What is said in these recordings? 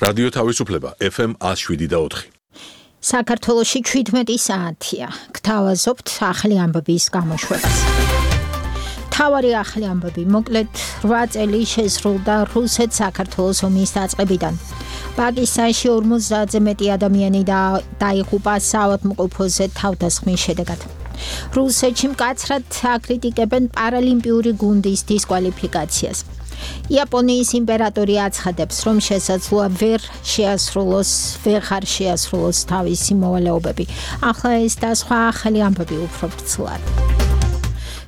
რადიო თავისუფლება FM 107.4. საქართველოში 17 საათია. გთავაზობთ ახალი ამბების გამოშვებას. თავარი ახალი ამბები, მოკლედ 8 წელი შესრულდა რუსეთ-საქართველოს ომის დაწყებიდან. პაკისტანში 50-ზე მეტი ადამიანი დაიღუპა საავადმყოფოზე თავდასხმის შედეგად. რუსეთში მკაცრად აკრიტიკებენ პარალიმპიური გუნდის დისკვალიფიკაციას. იაპონიის იმპერატორი აცხადებს, რომ შესაძლოა ვეღარ შეასრულოს თავისი მოვალეობები. ახლა ეს და სხვა ახალი ამბები უფრო ვრცლად.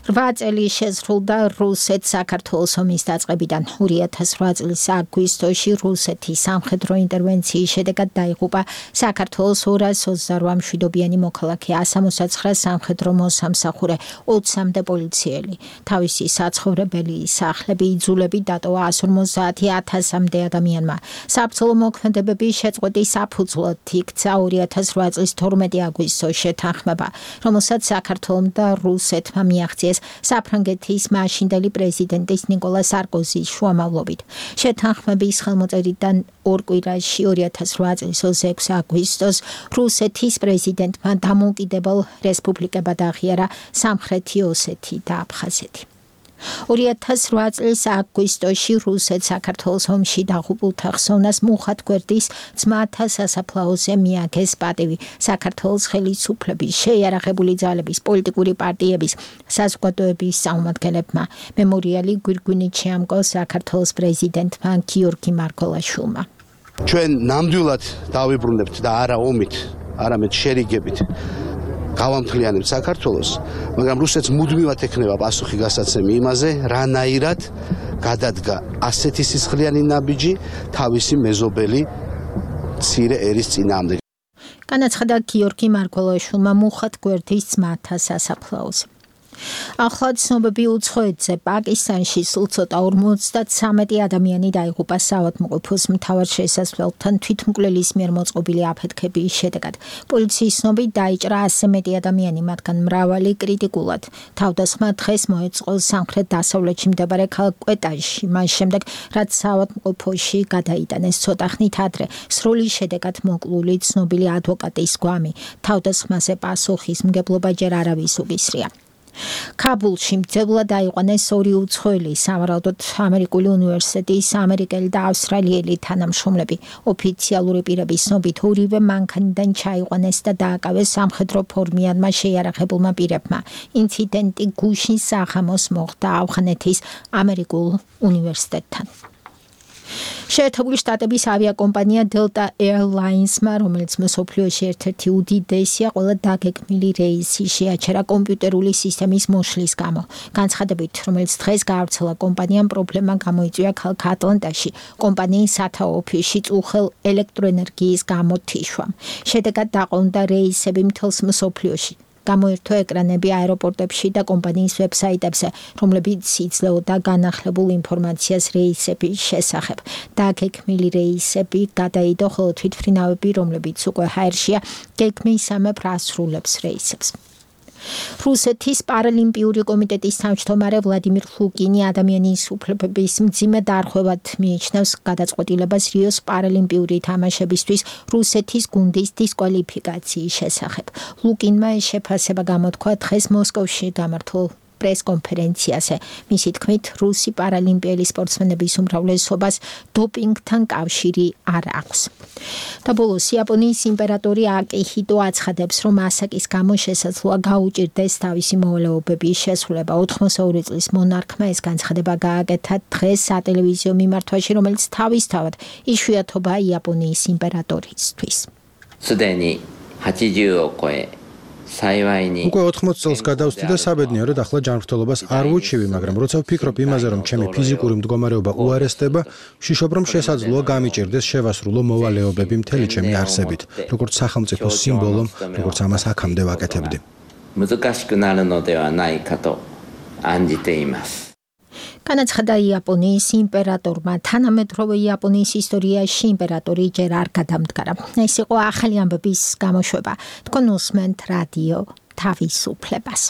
8 წელი შესრულდა რუსეთ-საქართველოს ომის დაწყებიდან. 2008 წლის აგვისტოში რუსეთის სამხედრო ინტერვენციის შედეგად დაიღუპა საქართველოს 228 მშვიდობიანი მოქალაქე, 169 სამხედრო მოსამსახურე, 20-მდე პოლიციელი. თავისი საცხოვრებელი სახლები, იძულები დატოვა 150,000-მდე ადამიანმა. საბრძოლო მოქმედებების შეწყვეტის საფუძვლად იქცა 2008 წლის 12 აგვისტოს შეთანხმება, რომელსაც საქართველომ და რუსეთმა მიაღწიეს საფრანგეთის მაშინდელი პრეზიდენტის ნიკოლა სარკოზის შუამავლობით. შეთანხმების ხელმოწერიდან 2 კვირაში 2008 წლის 26 აგვისტოს რუსეთის პრეზიდენტმა დამოუკიდებელ რესპუბლიკებად აღიარა სამხრეთი ოსეთი და აფხაზეთი. 2008 წლის აგვისტოში რუსეთ-საქართველოს ომში დაღუპულთა ხსოვნას მუხად გვერდის ძმათა სასაფლაოზე მიაგეს პატივი. საქართველოს ხელისუფლების, შეიარაღებული ძალების, პოლიტიკური პარტიების, საზოგადოების წარმომადგენლებმა. მემორიალი გვირგვინით შეამკო საქართველოს პრეზიდენტმა გიორგი მარგველაშვილმა. ჩვენ ნამდვილად დავიბრუნებთ და არა ომით, არამედ შერიგებით გავამთლიანებთ საქართველოს, მაგრამ რუსეთს მუდმივად ექნება პასუხი გასაცემი იმაზე, რანაირად გადადგა ასეთი სისხლიანი ნაბიჯი თავისი მეზობელი მცირე ერის წინააღმდეგ. განაცხადა გიორგი მარგველაშვილმა მუხად გვერდის ძმათა სასაფლაოზე. ახლა ცნობები უცხოეთზე. პაკისტანში სულ ცოტა 53 ადამიანი დაიღუპა საავადმყოფოს მთავარ შესასვლელთან თვითმკვლელის მიერ მოწყობილი აფეთქების შედეგად. პოლიციის ცნობით დაიჭრა 100 მეტი ადამიანი, მათგან მრავალი კრიტიკულად. თავდასხმა დღეს მოეწყო სამხრეთ-დასავლეთში მდებარე ქალაქ კვეტაში, მას შემდეგ, რაც საავადმყოფოში გადაიტანეს ცოტა ხნით ადრე. სროლის შედეგად მოკლული ცნობილი ადვოკატის გვამი. თავდასხმაზე პასუხისმგებლობა ჯერ არავის უგისრია. ქაბულში მძევლად აიყვანეს 2 უცხოელი, სავარაუდოდ ამერიკული უნივერსიტეტის ამერიკელი და ავსტრალიელი თანამშრომლები. ოფიციალური პირების ცნობით ორივე მანქანიდან ჩაიყვანეს და დააკავეს სამხედრო ფორმიანმა შეიარაღებულმა პირებმა. ინციდენტი გუშინ საღამოს მოხდა ავღანეთის ამერიკულ უნივერსიტეტთან. შეერთებული შტატების ავიაკომპანია Delta Airlines-მა, რომელიც მსოფლიოში ერთ-ერთი უდიდესია, ყველა დაგეგმილი რეისი შეაჩერა კომპიუტერული სისტემის მოშლის გამო. განცხადებით, რომელიც დღეს გაავრცელა, კომპანიამ პრობლემა გამოიწვია ქალაქ ატლანტაში, კომპანიის სათაო ოფისში წუხელ ელექტროენერგიის გამოთიშვამ. შედეგად დაყოლდა რეისები მთელს მსოფლიოში. გამოირთო ეკრანები აეროპორტებში და კომპანიის ვებსაიტებზე, რომლებიც იძლეოდა განახლებულ ინფორმაციას რეისების შესახებ. დაგეგმილი რეისები გადაიდო, ხოლო თვითმფრინავები, რომლებიც უკვე ჰაერშია, გეგმისამებრ ასრულებს რეისებს. რუსეთის პარალიმპიური კომიტეტის თავმჯდომარე ვლადიმირ ლუკინი ადამიანის უფლებების მძიმე დარღვევად მიიჩნევს გადაწყვეტილებას რიოს პარალიმპიური თამაშებისთვის რუსეთის გუნდის დისკვალიფიკაციის შესახებ. ლუკინმა ეს შეფასება გამოთქვა დღეს მოსკოვში გამართულ პრეს-კონფერენციაზე. მისი თქმით, რუსი პარალიმპიელი სპორტსმენების უმრავლესობას დოპინგთან კავშირი არ აქვს. და ბოლოს იაპონიის იმპერატორი აკიჰიტო აცხადებს, რომ ასაკის გამო შესაძლოა გაუჭირდეს თავისი მოვალეობების შესრულება. 82 წლის მონარქმა ეს განცხადება გააკეთა დღეს სატელევიზიო მიმართვაში, რომელიც თავისთავად იშვიათობაა იაპონიის იმპერატორისთვის. უკვე 80 წელს გადავსდი და საბედნიეროდ ახლა ჯანმრთელობას არ ვუჩივი, მაგრამ როცა ვფიქრობ იმაზე, რომ ჩემი ფიზიკური მდგომარეობა უარესდება, ვშიშობ, რომ შესაძლოა გამიჭირდეს შევასრულო მოვალეობები მთელი ჩემი არსებით, როგორც სახელმწიფო სიმბოლო, როგორც ამას აქამდე ვაკეთებდი. განაცხადა იაპონიის იმპერატორმა. თანამედროვე იაპონიის ისტორიაში იმპერატორი ჯერ არ გადამდგარა. ეს იყო ახალი ამბების გამოშვება. თქვენ უსმენთ რადიო თავისუფლებას.